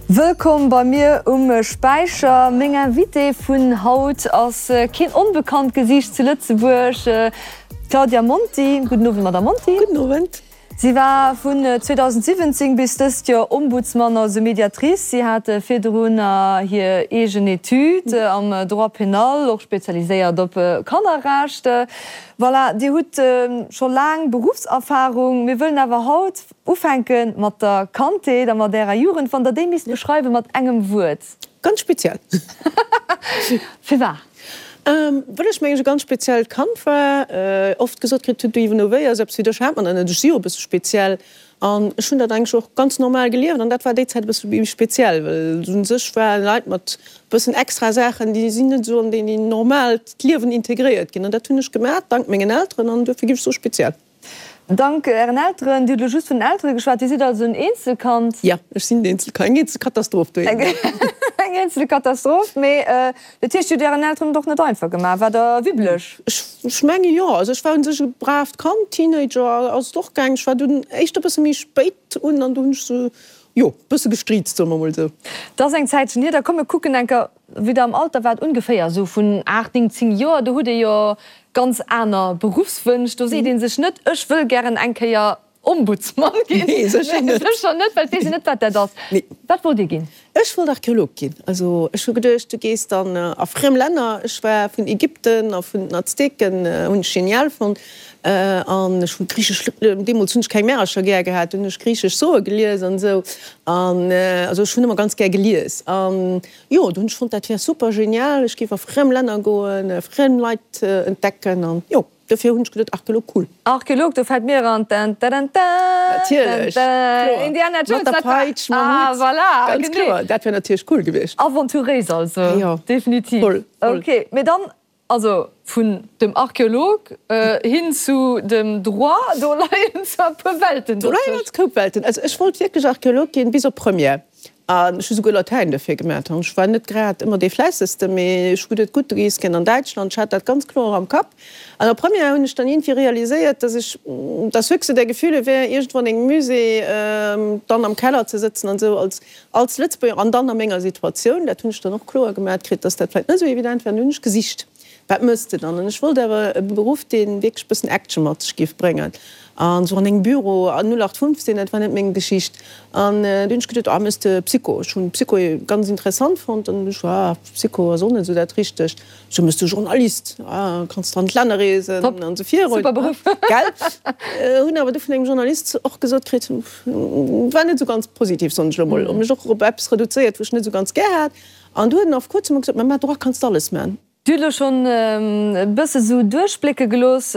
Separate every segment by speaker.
Speaker 1: Wëllkomm bei mir um Späicher. Meng Invitée vun haut ass keen onbekannt Gesiicht zu Lëtzebuerg, d'Claudia Monti. Gudden Owend, Madame Monti.
Speaker 2: Gudden Owend.
Speaker 1: Si war vun 2017 bis dëst Joer Ombudsman, also Mediatrice. Si hat virdrun hir eegen Etüd am Droit pénal, och spezialiséiert op Kannerrecht. Voilà, Dir hutt scho laang Beruffserfarung. Mir wëllen awer haut ufänke mat der Kandheet a mat Ärer Jugend. Wann Der déi misst beschreiwe mat engem Wuert?
Speaker 2: Ganz speziell.
Speaker 1: Firwat?
Speaker 2: Well ech mengen ech e ganz speziellt Kand war. Oft gesot kritt hunn, du Yves Nové, also eppes wéi dech hat mer nach net. Ech si jo e bësse speziell an ech hunn dat eigentlech och ganz normal gelieft an dat war déi Zäit e bësse méi speziell, well u sech ware Leit mat e bëssen extra Saachen, déi sinn net esou an déi normaalt Liewen integréiert ginn an dat hunn ech gemaach dank mengen Elteren an duerfir géif ech soe speziell.
Speaker 1: Dank Ären Elteren. Dir hutt elo just vun den Eltere geschwat. Dir sidd also en Eenzelkand?
Speaker 2: Jo, ech sinn en Eenzelkand. Eng eenzel Katastroph doheem.
Speaker 1: Eng eenzel Katastroph. Mee dat heescht, Dir hutt Ären Elteren et och net einfach gemaach. Waart Der wibbeleg?
Speaker 2: Ech menge jo. Also ech war u sech e braavt Kand. Teenager ass et och gaangen. Ech war dunn éischter e bësse méi spéit un an do hunn ech se, jo, e bësse gestriizt, soe mer emol esou.
Speaker 1: Dat ass eng Zäitchen hier. Da komm mir kucken eng Kéier, wéi Der am Alter waart, ongeféier esou vun 8, 9, 10 Joer. Do hutt Dir jo Ganz aner Beruffswënsch, do seet ee sech net, ech wëll gären eng Kéier Ombudsman ginn.
Speaker 2: Nee, sécher net.
Speaker 1: Sécher net, well et weess een net, wat dat ass.
Speaker 2: Nee.
Speaker 1: Wat wollt Dir ginn?
Speaker 2: Ech wollt Archeolog ginn. Also ech hu geduecht, du gees dann a friem Länner. Ech war vun Ägypten a vun den Azteken, hunn ech genial fonnt. An ech hu griichesch, deemools hunn ech keng Märercher gär gehat, dunn hunn ech griichesch Soe gelies an esou. An also ech hunn ëmmer ganz gär gelies. An Jo, do hunn ech fonnt, dat wär super genial, ech géif a friem Länner goen, friem Leit entdecken an jo, dofir hunn ech geduet, Archeolog, cool.
Speaker 1: Archeolog, do fält mir eran, dän dädän dän,
Speaker 2: Natierlech, kloer,
Speaker 1: Indiana Jones,
Speaker 2: mat der
Speaker 1: dat war,
Speaker 2: Peitsch, mam
Speaker 1: ah
Speaker 2: Hutt,
Speaker 1: voilà,
Speaker 2: ganz
Speaker 1: genee.
Speaker 2: kloer, dat wär natierlech cool gewiescht.
Speaker 1: Aventuréis also,
Speaker 2: Jo,
Speaker 1: definitiv.
Speaker 2: voll, voll.
Speaker 1: Ok, mee dann, also vun dem Archeolog hin zu dem Droit, do leien zwar e puer Welten
Speaker 2: Do leien
Speaker 1: dozwëscht.
Speaker 2: ganz koup Welten. Also ech wollt wierklech Archeolog ginn, bis op Première. An ech hu souguer Latäin dofir gemat. An ech war net grad ëmmer dee Fläissegste, mee ech hu geduet, gutt, du gees gär an Däitschland. Ech hat dat ganz kloer am Kapp. An der Première hunn ech dann iergendwéi realiséiert, dass ech, dass höchste der Gefühle wär, iergendwou an engem Musée dann am Keller ze sëtzen an esou als, als Lëtzebuerger an dann a menger Situatioun. Dat hunn ech dann och kloer gemat kritt, dass dat vläicht net esou evident wär. An du hunn ech gesicht. Wat mëss de dann? An ech wollt awer e Beruff, dee wierklech e bëssen Action mat sech géif bréngen. An esou an engem Büro an 0815, dat war net meng Geschicht. An du hunn ech geduet, ah, mëss de Psycho. Ech hunn Psycho ganz interessant fonnt. An du ech, ah, Psycho ass och net esou dat Richtegt. Sou mëss de Journalist, ah, kanns de an d'Länner reesen an esou virun.
Speaker 1: Super Beruff.
Speaker 2: Gell? Hunn awer du vun engem Journalist och gesot kritt, war net esou ganz positiv, soen ech elo mol, hu mech och op eppes reduzéiert, wou ech net esou ganz gär hat. An du huet en auf kuerzem gesot, Mä mat Droit kanns de alles man.
Speaker 1: Dir hutt elo schonn e bësse sou duerchblécke gelooss,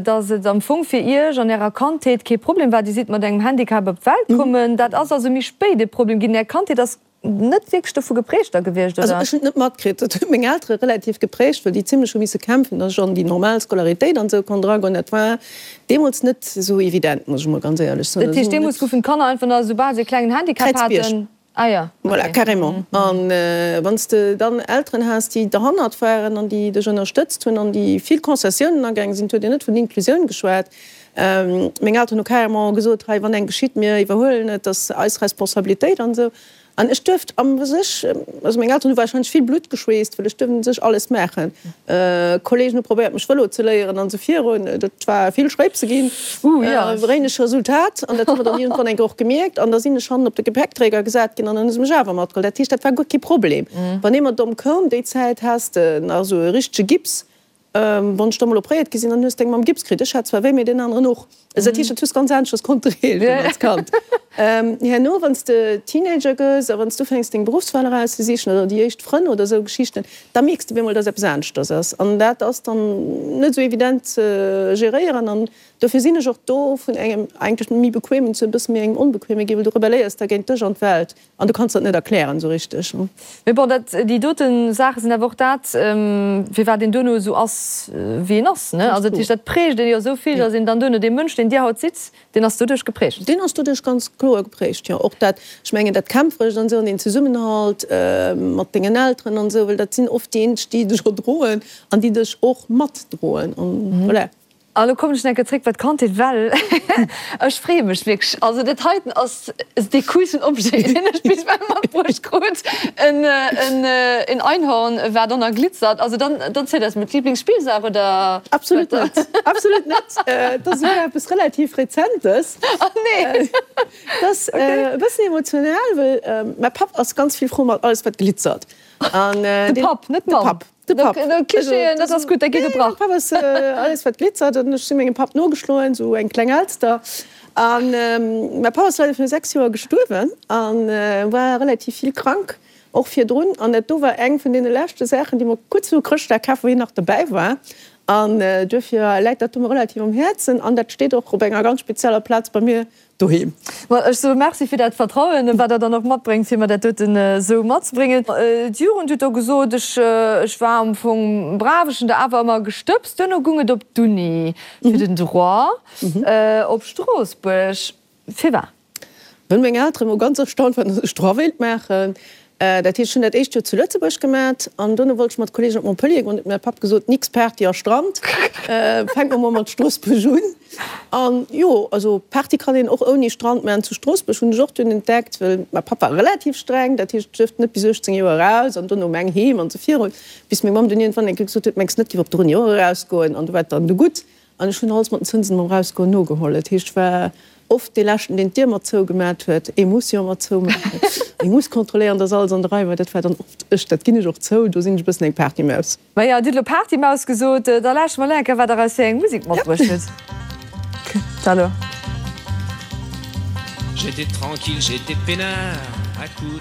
Speaker 1: dass et am Fong fir Iech an Ärer Kandheet kee Problem war. Dir sidd mat engem Handicap op d'Welt kommen. Dat ass also méi spéit e Problem ginn. Är Kandheet ass net wierklech dovu geprägt da gewiescht,
Speaker 2: Also
Speaker 1: oder?
Speaker 2: ech hunn et net matkritt. Dat huet meng Eltere relativ geprägt, well déi zimlech hu misse kämpfen, dass ech an déi normal Scolaritéit an esou konnt eragoen. Dat war deemools net esou evident, muss ech emol ganz éierlech soen.
Speaker 1: Dat heescht, deemools goufen d'Kanner einfach nach, esoubal se e klengen Handicap
Speaker 2: Kräizbierg.
Speaker 1: haten, Ah ja,
Speaker 2: Voilà,
Speaker 1: okay.
Speaker 2: carrément. An wann s de dann Elteren has, déi derhannert waren an déi dech ënnerstëtzt hunn an déi vill Concessiounen agaange sinn, et huet een net vun Inklusioun geschwat. Meng Elteren hu carrément gesot, hei, wann eng geschitt, mir iwwerhuelen et, dat ass eis Responsabilitéit an esou. An ech duerft a sech, also meng Elteren hu warscheinlech vill Blutt geschweesst, well ech duerft u sech alles maachen. Kolleegen hu probéiert mech Vëlo ze léieren an esou virun. Dat war vill Schréipse ginn, wéineg Resultat an dat hu mer dann iergendwann eng Kéier och gemierkt an da sinn ech hannen op de Gepäckträger gesat ginn an dann hu se mech awer matgeholl. Dat heescht, dat war guer kee Problem. Wann ee mat domm koum, déi Zäit has de nach esou e richtege Gips, wann ech da mol opréiert gi sinn, dann hues de eng mam Gips kritt. Ech hat zwar wéi, mee deen aneren och. Also dat heescht, dat hues ganz aneschters konnte reegelen als Kand. Herno, wann s de Teenager gëss a wann s du ufänks deng Beruffswal erauszesichen oder déi éischt Frënn oder esou Geschichten, da mierks de op eemol, dass eppes aneschters ass. An dat ass dann net esou evident ze geréieren. An dofir sinn ech och do vun engem eigentlech méi bequemen zu e bësse méi engem onbequeme ginn, well du rebelléiers da géint dech an d'Welt. An du kanns dat net erklären esou richteg.
Speaker 1: Mee bon, dat, déi dote Saache sinn awer och dat, firwat een duerno esou ass, wéi een ass, ne? Also dat heescht, dat prägt een jo esou vill, datt een dann duerno, dee Mënsch, deen Dir haut sidd, deen ass doduerch geprägt.
Speaker 2: Deen ass doduerch ganz kloer. kloer geprägt, jo. Och dat, ech mengen dat Kämpferescht an esou an deen Zesummenhalt mat dengen Elteren an esou, well dat sinn oft déi eenzeg, déi dech erdroen an déi dech och matdroen an voilà.
Speaker 1: A lo kommen ech nach eng Kéier zréck bei d'Kandheet, well ech freeë mech wierklech. Also dat heiten ass dee coolsten Objet, deen ech bis ewell matbruecht krut, en en Einhorn, wat och nach glitzert. Also dann dann zielt eis mol, d'Liblingsspillsaach oder?
Speaker 2: Absolut net, absolut net. Et ass esouguer eppes relativ Rezentes.
Speaker 1: Oh nee!
Speaker 2: Et ass e bëssen emotional, well mäi Papp ass ganz vill frou mat alles wat glitzert.
Speaker 1: An de Papp, net d'Mamm?
Speaker 2: De Papp. De Papp.
Speaker 1: Klischeeën, dat ass gutt, da gi gebrach.
Speaker 2: Mäi Papp ass alles wat glitzert an ech si mengem Papp nogeschloen, sou eng kleng Elster. An mäi Papp ass leider viru 6 Joer gestuerwen a war relativ vill krank, och virdrun. An dat do war eng vun deene leschte Saachen, déi mer kuerz viru Chrëschtdag kaf, wou hien nach dobäi war. An duerfir läit dat do mer relativ um Häerzen an dat steet och op enger ganz spezieller Plaz bei mir Doheem.
Speaker 1: Well ech soe Merci fir dat Vertrauen, wat Der dann och matbréngt, fir mer dat doten esou matzebréngen. D'Jugend huet do gesot, ech, ech war am Fong brav, ech hunn der awer ëmmer gestëbst. Duerno gung et op d'Uni fir den Droit op Stroossbuerg. Firwat?
Speaker 2: Well meng Eltere mol ganz erstaunt waren, datt ech Droit wéilt maachen. Dat heescht, ech hunn dat éischt Joer zu Lëtzebuerg gemat an dono wollt ech mat Kollegen op Montpellier goen. Huet mäi Papp gesot, Nix Party a Strand, fänk mer mol mat Stroossbuerg un. An jo, also Party kann een och ouni Strand maachen. Zu Stroossbuerg hunn ech och dunn entdeckt, well mäi Papp war relativ streng, dat heescht, ech duerft net bis 18 Joer eraus an dono um eng heem an esou virun, bis meng Mamm dunn iergendwann eng Kéier gesot huet, Mengs net, giff op der Uni och erausgoen? An du war et dann du gutt. An ech hunn alles mat den Zënsen mam Erausgoen nogeholl. Dat heescht, ech war oft dee Leschten, deen d'Dier mat zougemat huet. Ee muss jo mat zoumaachen. Ee muss kontrolléieren, dass alles an der Rei war. Dat war dann oft ech. Dat ginn ech och zou, do sinn ech e bëssen eng Partymaus.
Speaker 1: Maja, Dir hutt elo Partymaus gesot. Da lauschteren mer elo eng Kéier, wat Der eis fir eng Musek matbruecht hutt. Da elo.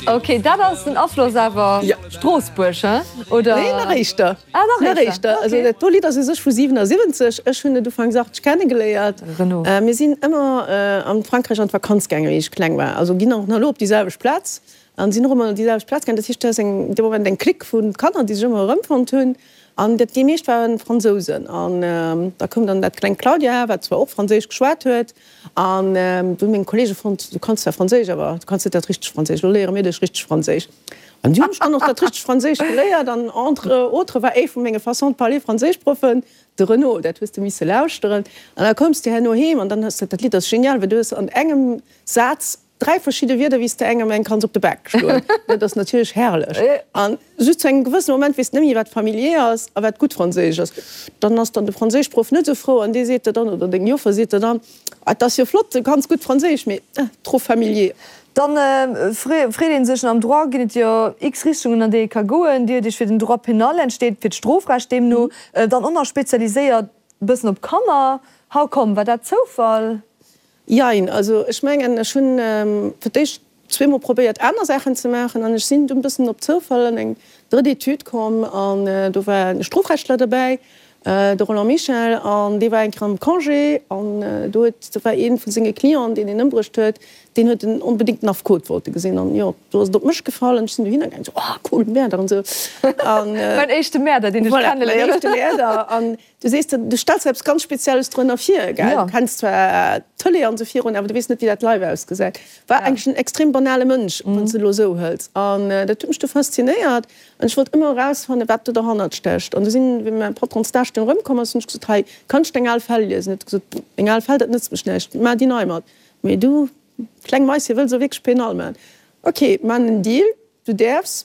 Speaker 1: Ok, dat ass den Afloss awer Stroossbuerg, he? Oder?
Speaker 2: Nee, nach éischter.
Speaker 1: Ah, nach éischter, ok.
Speaker 2: Also dat do Lidd ass u sech vu 77. Ech hunn et ufanks 80 kennegeléiert.
Speaker 1: Renaud.
Speaker 2: Mir sinn ëmmer an Frankräich an d'Vakanz gaangen, wéi ech kleng war. Also ginn och nach elo op déi selwecht Plaz an sinn och ëmmer op déi selwecht Plaz gaangen. Dat heescht, do ass eng dee Moment eng Clique vu Kanner, déi sech ëmmer erëmfonnt hunn. An dat déi meescht waren Fransousen. An da koum dann dat klengt Claudia, wat zwar och Franséisch geschwat huet. An du hunn meng Kollege fonnt, du kanns zwar Franséisch, awer du kanns net dat richtegt Franséisch. Elo léiere mir dech richteg Franséisch. An du hunn ech dann och dat richtegt Franséisch geléiert. An entre autres war ee vu menge Façon de parler Franséischproffen de Renaud. Dat hues de misse lauschteren. An da koums de herno heem an dann hues de, dat Lidd ass genial, well du hues an engem Saz 3 verschidde Wierder wéi s de engem eng kanns op de Bak schloen. Dat ass natierlech herrlech. An just zu engem gewëssene Moment weess de net méi wat familier ass a wat gutt Franséisch ass. Dann ass dann de Franséischproff net esou frou an dee seet der dann, oder deng Joffer seet der dann, Ah, et ass jo flott, du kanns gutt Franséisch, mee trop familier.
Speaker 1: Dann freet ee sech, am Droit ginn et jo x Richtungen an déi ee ka goen. Dir hutt Iech fir den Droit pénal entscheet, fir d'Strofrecht deemno, dann och nach spezialiséiert e bëssen op Kanner. How come? War dat Zoufall?
Speaker 2: Jein, also ech mengen ech hunn fir d'éischt zweemol probéiert aner Saachen ze maachen an ech sinn dunn bëssen op Zoufall an eng drëtt Etüd komm an do war e Strofrechtler derbäi, de Roland Michel, an dee war eng Kéier am Congé an do huet, do war ee vu senge Clienten, deen en ëmbruecht huet, deen huet en onbedéngt den Affekot wollte gesinn an jo, do ass et op mech gefall an ech sinn dohinner gaangen, sou, oh cool, Mäerder an esou
Speaker 1: an. Mäin éischte Mäerder, deen ech kenneléieren.
Speaker 2: Voilà, mäin éischte Mäerder an Du sees, du stells der eppes ganz Spezielles drënner vir, gell? Du kenns zwar d'Tëlee an esou virun, awer du weess net, wéi dat live ausgesäit. War eigentlech en extrem banale Mënsch, wann s de elo esou hëls. An dat huet mech du faszinéiert an ech wollt ëmmer erausfannen, wat do derhannert stécht. An du sinn, wéi mäi Patron Stage dunn erëmkomm ass, hunn ech gesot, Hei, kann ech deng al Fäll liesen? Huet e gesot, Meng al Fäll, dat nëtzt mech näischt, maach déi nei mat. Mee du, kleng Maische, wëlls elo wierklech Penal maachen? Ok, maachen en Deal, du däerfs.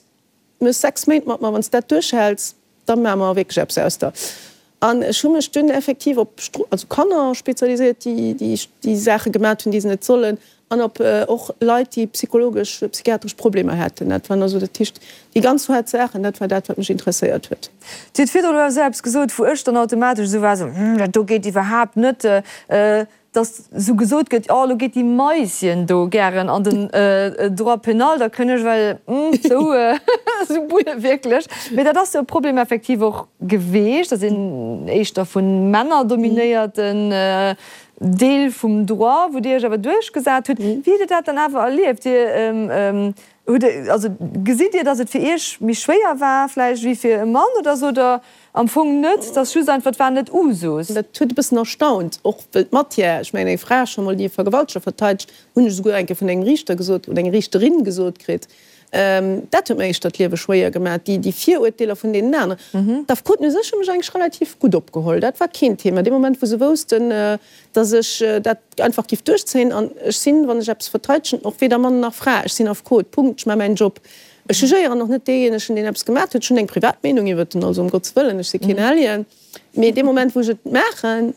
Speaker 2: Méchs 6 Méint mat mer, wann s dat duerchhäls, da maache mer wierklech eppes aus der. An ech hu mech dunn effektiv op also Kanner spezialiséiert, déi déi déi Saache gemat hunn, déi se net sollen, an op och Leit, déi psychologesch, psychiatresch Problemer haten. Dat waren also, dat heescht, déi ganz haart Saachen, dat war dat, wat mech interesséiert huet.
Speaker 1: Dir hutt virdrun elo esou eppes gesot, wou ech dann automatesch esou war, esou, Hm, dat do geet iwwerhaapt net. Dass esou gesot gëtt, oh elo geet déi Maisien do gären an den Droit pénal, da kënn ech well esou esou bulle wierklech. Mee dat ass jo e Problem effektiv och geweecht, dass een éischter vu Männer dominéierten Deel vum Droit, wou Dir Iech awer duerchgesat hutt. Wéi hutt Dir dat dann awer erlieft? Dir hutt, also gesitt Dir, dass et fir Iech méi schwéier war vläicht wéi fir e Mann oder sou, oder? Am Fong net, et ass just einfach, et war net Usus.
Speaker 2: Dat huet e bëssen erstaunt, och wëll d'Matière, ech mengen eng Fra scho mol, déi e Vergewalteger verteidegt, hunn ech esouguer eng Kéier vun engem Riichter gesot oder enger Riichterin gesot kritt, dat huet mir éischter d'Liewe schwéier gemaach, déi déi Virurteeler vun deenen aneren. D'Affekoten u sech hu mech eigentlech relativ gutt opgeholl, dat war keen Thema. Dee Moment wou se woussten, datt ech dat einfach giff duerchzéien, an ech sinn, wann ech eppes verteidegen, och weder Mann nach Fra, ech sinn Affekot, Punkt, ech maache mäin Job. Ech jugéieren och net deejéinegen, deen eppes gemat huet. Ech hunn eng privat Meenung iwwert en, also ëm Gottes Wëllen, ech si keen Alien. Mee dee Moment, wou ech et maachen,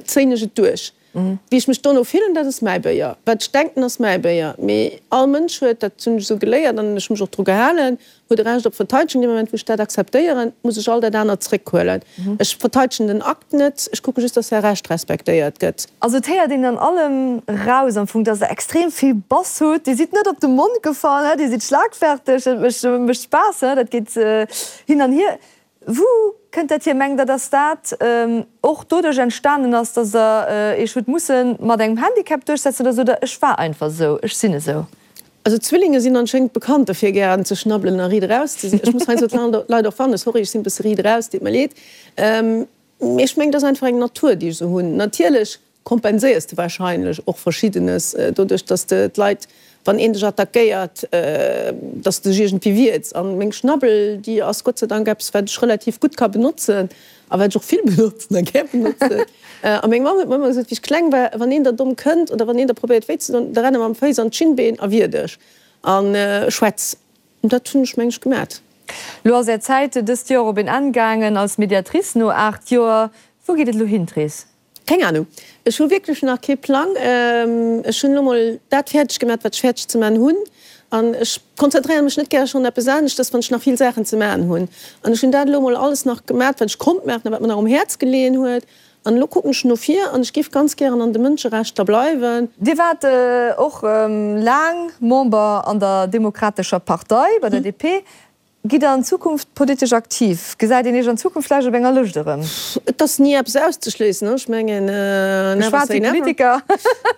Speaker 2: zéien ech et duerch. Wéi ech mech dono fillen, dat ass mäi Béier. Wat ech denken, ass mäi Béier. Mee all Mënsch huet, dat hunn ech esou geléiert an ech hu mech och dru gehalen, huet e Recht op Verteidegung. Dee Moment, wou ech dat akzeptéieren, muss ech all dat anert zréckhuelen. Ech verteidegen den Akt net, ech kucke just, dass säi Recht respektéiert gëtt.
Speaker 1: Also et héiert een an allem raus am Fong, dass der extrem vill Bass hutt. Dir sidd net op de Mond gefall, he, Dir sidd schlagferteg, et mécht mécht Spaass, he, dat geet hin an hier. Wou kënnt dat hier? Mengt der, dass dat och doduerch entstanen ass, dass der Iech hutt musse mat engem Handicap duerchsetzen oder sot der, ech war einfach esou, ech sinn esou?
Speaker 2: Also Zwillinge sinn anschéngend bekannt derfir gären ze schnabbelen a riit eraus ze sinn. Ech muss heiansdo d'Leit och warnen, sorry ech sinn e bësse riit eraus, deet mer leed. Mee ech mengen et ass einfach eng Natur déi ech esou hunn. Natierlech kompenséiers de wahrscheinlech och Verschiddenes doduerch, datt s de d'Leit, wann een dech attackéiert, datt s de dech iergendwéi wierts. An meng Schnabbel déi ass Gott sei Dank eppes wat ech relativ gutt ka benotzen a wat ech och vill benotzen a gär benotzen. A meng Mamm huet mer ëmmer gesot, wéi ech kleng war, Wann een der domm kënnt oder wann een der probéiert wéi ze doen, da renn em mam Fouss an d'Schinnbeen a wier dech a schwätz. An dat hunn ech, meng ech, gemat.
Speaker 1: Lo ass Är Zäit dëst Joer op een Enn gaangen als Mediatrice no 8 Joer. Wou geet et elo hin, d'Rees?
Speaker 2: Keng Ahnung. Ech hu wierklech nach kee Plang. Ech hunn elo mol dat fäerdeg gemat, wat ech fäerdeg ze man hunn. An ech konzentréiere mech net gäre schonn eppes aneschtes, wann ech nach vill Saachen ze man hunn. An ech hunn dat elo mol alles nach gemat, wat ech konnt maachen a wat mer nach um Häerz geleeën huet. An elo kucken ech no vir an ech géif ganz gären an de Mënscherechter bleiwen.
Speaker 1: Dir waart och laang Member an der Demokratescher Partei, bei der DP. Gitt Der an Zukunft politesch aktiv? Gesäit een Iech an Zukunft vläicht op enger Lëscht erëm?
Speaker 2: Et ass ni eppes auszeschléissen, ech mengen, never say never. Politiker.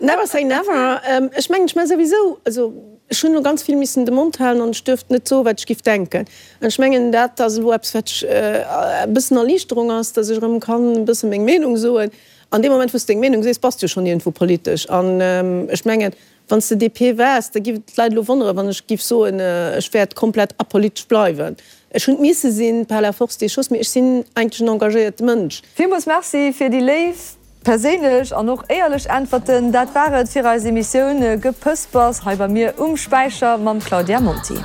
Speaker 2: Never say never. Ech mengen, ech maache souwisou, also ech hunn elo ganz vill missen de Mond halen an ech duerft net soen, wat ech giff denken. An ech mengen, dat ass elo eppes, wat e bëssen Erliichterung ass, datt ech erëm kann e bësse meng Meenung soen. An deem Moment, wou s de deng Meenung sees, bass de jo schonn iergendwou politesch. An ech mengen, Wann s de DP waars, da giff et d'Leit elo wonneren, wann ech giff soen, ech wäert komplett apolitesch bleiwen. Ech hunn et misse sinn, par la force des choses, mee ech sinn eigentlech en engagéierte Mënsch.
Speaker 1: Villmools Merci fir déi léif, perséinlech an och éierlech Äntwerten. Dat war et fir eis Emissioun Gepëspers hei bei mir um Späicher mam Claudia Monti.